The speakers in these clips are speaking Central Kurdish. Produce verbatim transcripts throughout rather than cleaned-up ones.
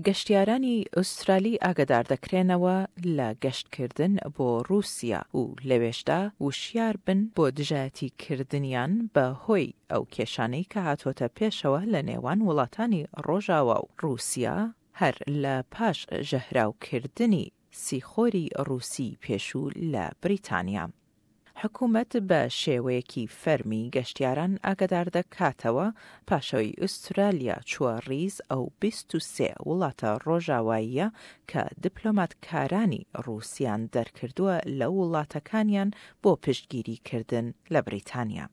گەشتیارانی ئوسترالی ئاگادار دەکرێنەوە لە گەشتکردن بۆ رووسیا و لەوێشدا وشیار بن بۆ دژایەتیکردنیان بە هۆی ئەو کێشانەی کە هاتووەتە پێشەوە لە نێوان وڵاتانی ڕۆژاوا و رووسیا هەر لە پاش ژەهراوکردنی سیخۆری ڕووسی پێشوو لە بریتانیا. حکوومەت بە شێوەیەکی فەرمی گەشتیاران ئاگادار دەکاتەوە پاشەوەی ئوسترالیا چووە ڕیز ئەو بیست و سێ وڵاتە ڕۆژاواییە کە دیپلۆماتکارانی ڕووسیان دەرکردووە لە وڵاتەکانیان بۆ پشتگیریکردن لە بریتانیا.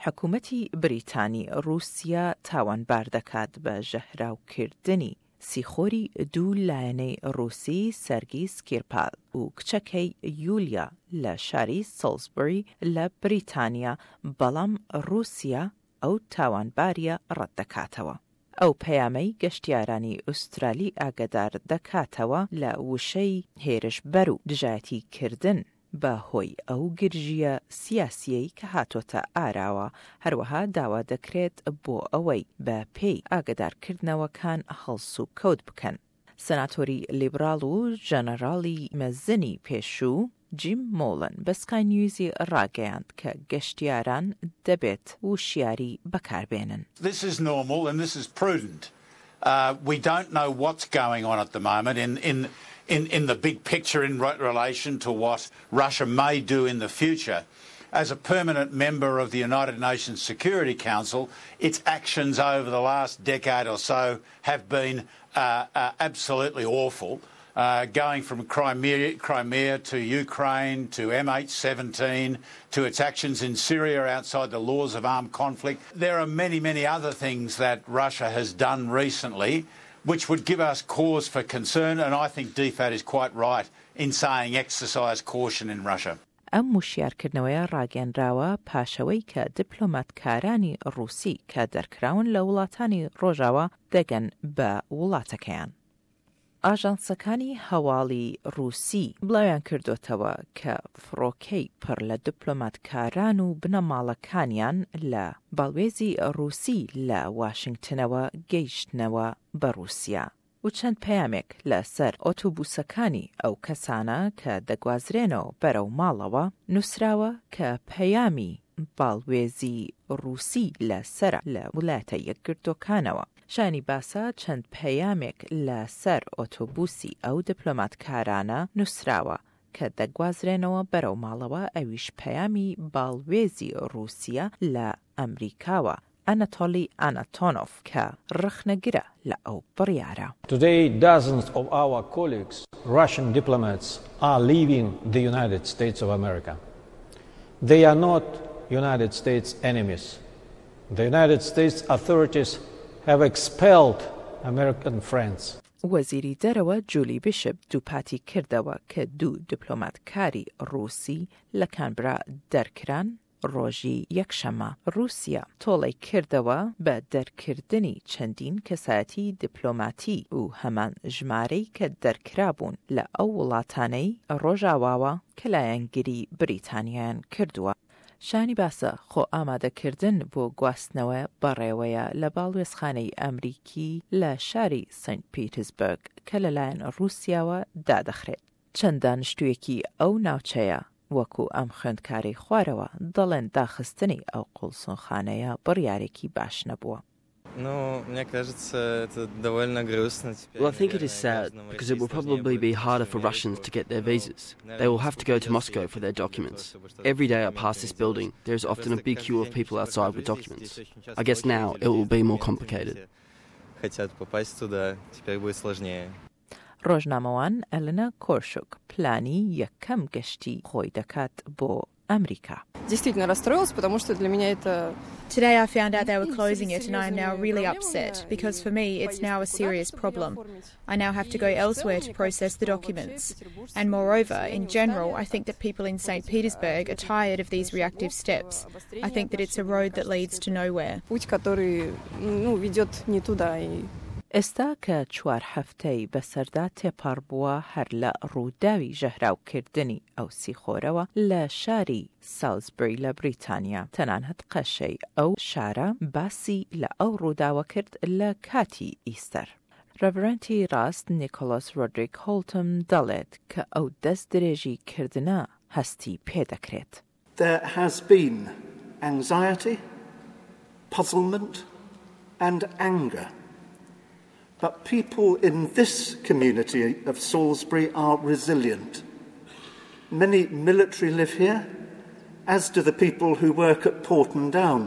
حکوومەتی بریتانی ڕووسیا تاوانبار دەکات بە ژەهراوکردنی سیخۆری دوو لایەنەی ڕووسی سەرگی سکریپال و کچەکەی یولیا لە شاری سۆڵزبری لە بریتانیا، بەڵام ڕووسیا ئەو تاوانباریە ڕەت دەکاتەوە. ئەو پەیامەی گەشتیارانی ئوسترالی ئاگادار دەکاتەوە لە وشەی هێرشبەر و دژایەتیکردن بە هۆی ئەو گرژیە سیاسیەی کە هاتۆتە ئاراوە، هەروەها داوا دەکرێت بۆ ئەوەی بە پێی ئاگادارکردنەوەکان هەڵس و کەوت بکەن. سەناتۆری لیبراڵ و ژەنەراڵی مەزنی پێشوو جیم مۆڵن بە سکای نیوزی ڕاگەیاند کە گەشتیاران دەبێت وشیاری بەکاربێنن. This is normal and this is prudent. Uh, we don't know what's going on at the moment in, in, in, in the big picture in relation to what Russia may do in the future. As a permanent member of the United Nations Security Council, its actions over the last decade or so have been uh, uh, absolutely awful. Uh, going from Crimea, Crimea to Ukraine to M H seventeen to its actions in Syria outside the laws of armed conflict. There are many, many other things that Russia has done recently which would give us cause for concern, and I think D F A T is quite right in saying exercise caution in Russia. ئەم وشیارکردنەوەیە ڕاگەنراوە پاشەوەی کە دیپلۆماتکارانی ڕووسی کە دەرکراون لە وڵاتانی ڕۆژاوا دەگەن بە وڵاتەکەیان. ئاژانسەکانی هەواڵی ڕووسی بڵاویان کردوتەوە کە فڕۆکەی پڕ لە دیپلۆماتکاران و بنەماڵەکانیان لە باڵوێزی ڕووسی لە واشنگتنەوە گەیشتنەوە بە ڕووسیا و چەند پەیامێک لەسەر ئۆتۆبوسەکانی ئەو کەسانە کە دەگوازرێنەوە بەرەو ماڵەوە نووسراوە کە پەیامی باڵوێزی ڕووسی لەسەر لە وڵاتە یەکگرتووەکانەوە. شانی باسە چەند پەیامێک لەسەر ئۆتۆبوسی ئەو دیپلۆماتکارانە نووسراوە کە دەگوازرێنەوە بەرەو ماڵەوە، ئەویش پەیامی باڵوێزی ڕووسیا لە ئەمریکاوە ئەنەتۆلی ئانتۆنۆف کە ڕەخنەگرە لە ئەو بڕیارە. Today, dozens of our colleagues, Russian diplomats, are leaving the United States of America. They are not United States enemies. The United States authorities have expelled American friends. وەزیری دەرەوە جولی بیشپ دووپاتی کردەوە کە دوو دیپلۆماتکاری ڕووسی لە کانبرا دەرکران ڕۆژی یەکشەممە. ڕووسیا تۆڵەی کردەوە بە دەرکردنی چەندین کەسایەتی دیپلۆماتی و هەمان ژمارەی کە دەرکرابوون لە ئەو وڵاتانەی ڕۆژاواوە کە لایەنگری بریتانیان کردووە. شانی باسە خۆ ئامادەکردن بۆ گواستنەوە بەڕێوەیە لە باڵوێزخانەی ئەمریکی لە شاری سنت پیترسبرگ کە لەلایەن ڕووسیاوە دادەخرێت. چەند دانیشتوویەکی ئەو ناوچەیە وەکو ئەم خوێندکاری خوارەوە دەڵێن داخستنی ئەو قوڵسونخانەیە بڕیارێکی باش نەبووە. Ну, мне кажется, это довольно грустно теперь. Well, I think it is sad because it will probably be harder for Russians to get their visas. They will have to go to Moscow for their documents. Every day I pass this building, there is often a big queue of people outside with documents. I guess now it will be more complicated. Хотят попасть туда, теперь будет сложнее. ڕۆژنامەوان ئەلنا کۆرشک پلانی یەکەم گەشتی خۆی دەکات بۆ ئەمریکا. Действительно расстроилась, потому что для меня это Today I found out they were closing it and I am now really upset because for me it's now a serious problem. I now have to go elsewhere to process the documents. And moreover, in general, I think that people in Saint Petersburg are tired of these reactive steps. I think that it's a road that leads to nowhere. Путь, который, ну, ведет не туда. И ئێستا کە چوار هەفتەی بەسەردا تێپەڕ بووە هەر لە ڕووداوی ژەهراوکردنی ئەو سیخۆرەوە لە شاری سالزبری لە بریتانیا، تەنانەت قەشەی ئەو شارە باسی لە ئەو ڕووداوە کرد لە کاتی ئیستەر. ڕێڤرەنتی ڕاست نیکۆلاس ڕۆدریک هۆڵتم دەڵێت کە ئەو دەست درێژی کردنە هەستی پێدەکرێت. There has been anxiety, puzzlement and anger. But people in this community of Salisbury are resilient. Many military live here, as do the people who work at Porton Down.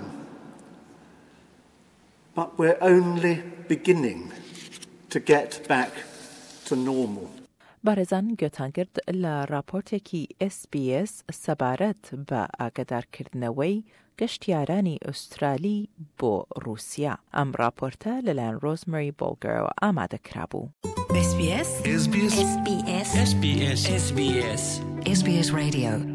But we're only beginning to get back to normal. بەڕێزان گوێتان گرت لە راپۆرتێکی S B S سەبارەت بە ئاگادارکردنەوەی گەشتیارانی ئوسترالی بۆ رووسیا. ئەم راپۆرتە لەلایەن ڕۆزمەری بۆڵگەرەوە ئامادە کرابوو. S B S S B S S B S S B S S B S S B S Radio.